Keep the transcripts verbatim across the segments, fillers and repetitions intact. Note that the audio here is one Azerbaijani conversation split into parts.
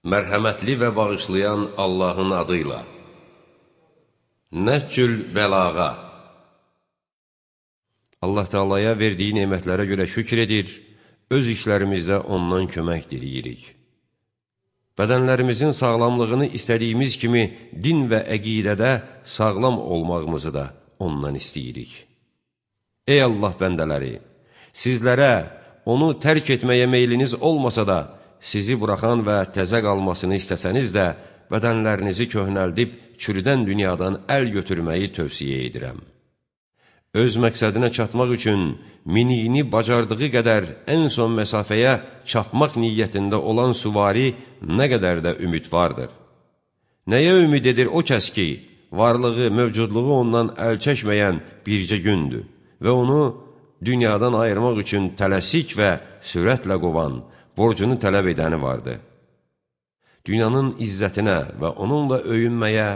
Mərhəmətli və bağışlayan Allahın adıyla. Nəhcül bəlağa. Allah Teala'ya verdiyi nemətlərə görə şükr edir, öz işlərimizdə ondan kömək diləyirik. Bədənlərimizin sağlamlığını istədiyimiz kimi din və əqidədə sağlam olmağımızı da ondan istəyirik. Ey Allah bəndələri! Sizlərə onu tərk etməyə meyliniz olmasa da, sizi buraxan və təzə qalmasını istəsəniz də, bədənlərinizi köhnəldib, çürüdən dünyadan əl götürməyi tövsiyə edirəm. Öz məqsədinə çatmaq üçün miniyini bacardığı qədər ən son məsafəyə çapmaq niyyətində olan süvari nə qədər də ümidvardır. Nəyə ümid edir o kəs ki, varlığı, mövcudluğu ondan əl çəkməyən bircə gündür və onu dünyadan ayırmaq üçün tələsik və sürətlə qovan, borcunu tələb edəni vardı. Dünyanın izzətinə və onunla öyünməyə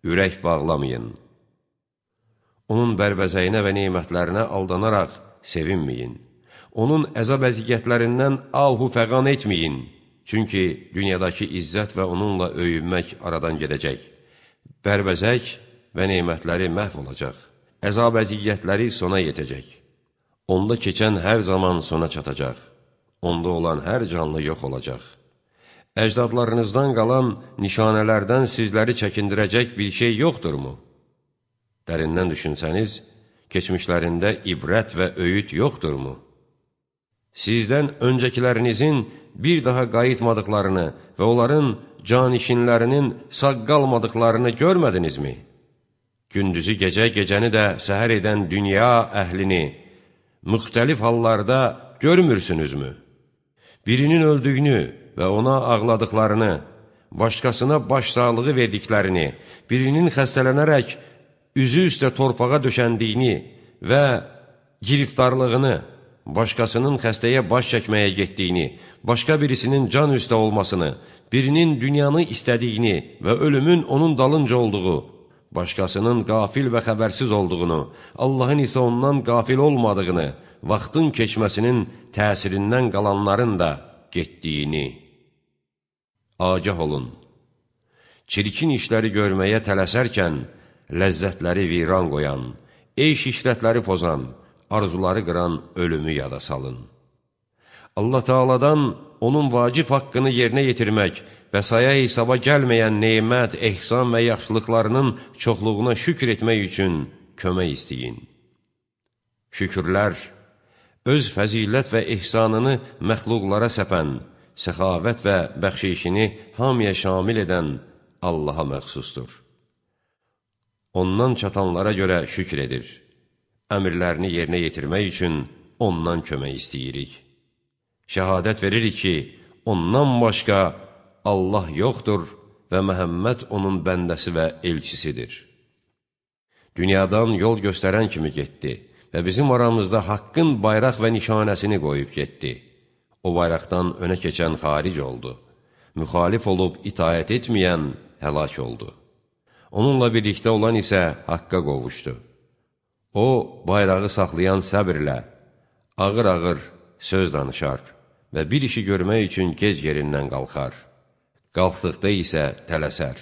ürək bağlamayın. Onun bərbəzəyinə və nemətlərinə aldanaraq sevinməyin. Onun əzab-əziyyətlərindən ahu fəqan etməyin. Çünki dünyadakı izzət və onunla öyünmək aradan gedəcək. Bərbəzək və nemətləri məhv olacaq. Əzab-əziyyətləri sona yetəcək. Onda keçən hər zaman sona çatacaq. Onda olan hər canlı yox olacaq. Əcdadlarınızdan qalan nişanələrdən sizləri çəkindirəcək bir şey yoxdurmu? Dərindən düşünsəniz, keçmişlərində ibrət və öyüd yoxdurmu? Sizdən öncəkilərinizin bir daha qayıtmadıqlarını və onların canişinlərinin sağ qalmadıqlarını görmədinizmi? Gündüzü gecə, gecəni də səhər edən dünya əhlini müxtəlif hallarda görmürsünüzmü? Birinin öldüyünü və ona ağladıqlarını, başqasına başsağlığı verdiklərini, birinin xəstələnərək üzü üstə torpağa döşəndiyini və giriftarlığını, başqasının xəstəyə baş çəkməyə getdiyini, başqa birisinin can üstə olmasını, birinin dünyanı istədiyini və ölümün onun dalınca olduğu, başqasının qafil və xəbərsiz olduğunu, Allahın isə ondan qafil olmadığını, vaxtın keçməsinin təsirindən qalanların da getdiyini. Agah olun, çirkin işləri görməyə tələsərkən, ləzzətləri viran qoyan, eyş işrətləri pozan, arzuları qıran ölümü yada salın. Allah Teala'dan onun vacib haqqını yerinə yetirmək və saya hesaba gəlməyən nemət, ehsan və yaxşılıqlarının çoxluğuna şükür etmək üçün kömək istəyin. Şükürlər, öz fəzilət və ehsanını məxluqlara səpən, səxavət və bəxşişini hamıya şamil edən Allaha məxsusdur. Ondan çatanlara görə şükür edir. Əmrlərini yerinə yetirmək üçün ondan kömək istəyirik. Şəhadət veririk ki, ondan başqa Allah yoxdur və Məhəmməd onun bəndəsi və elçisidir. Dünyadan yol göstərən kimi getdi və bizim aramızda haqqın bayraq və nişanəsini qoyub getdi. O bayraqdan önə keçən xaric oldu. Müxalif olub itaət etməyən həlak oldu. Onunla birlikdə olan isə haqqa qovuşdu. O, bayrağı saxlayan səbirlə, ağır-ağır söz danışar və bir işi görmək üçün gec yerindən qalxar. Qalxdıqda isə tələsər.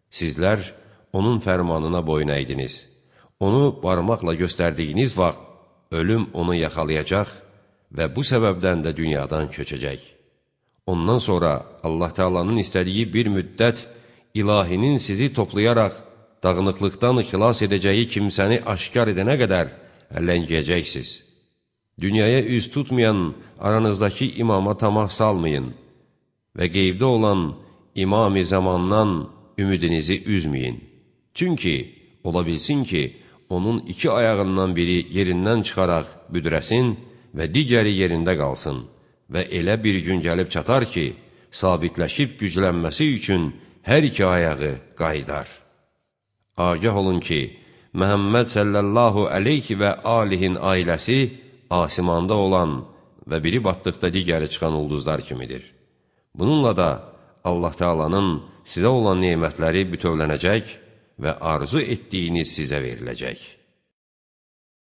Sizlər onun fərmanına boyun əydiniz. Onu barmaqla göstərdiyiniz vaxt ölüm onu yaxalayacaq və bu səbəbdən də dünyadan köçəcək. Ondan sonra Allah Teala'nın istədiyi bir müddət ilahinin sizi toplayaraq dağınıqlıqdan xilas edəcəyi kimsəni aşkar edənə qədər əlləngiyəcəksiniz. Dünyaya üz tutmayan aranızdakı imama tamah salmayın və qeybdə olan imam-ı zamandan ümidinizi üzməyin. Çünki ola bilsin ki, onun iki ayağından biri yerindən çıxaraq büdrəsin və digəri yerində qalsın və elə bir gün gəlib çatar ki, sabitləşib güclənməsi üçün hər iki ayağı qaydar. Agah olun ki, Məhəmməd sallallahu aleyhi və alihin ailəsi asimanda olan və biri batdıqda digəri çıxan ulduzlar kimidir. Bununla da Allah Teala'nın sizə olan nemətləri bütövlənəcək və arzu etdiyiniz sizə veriləcək.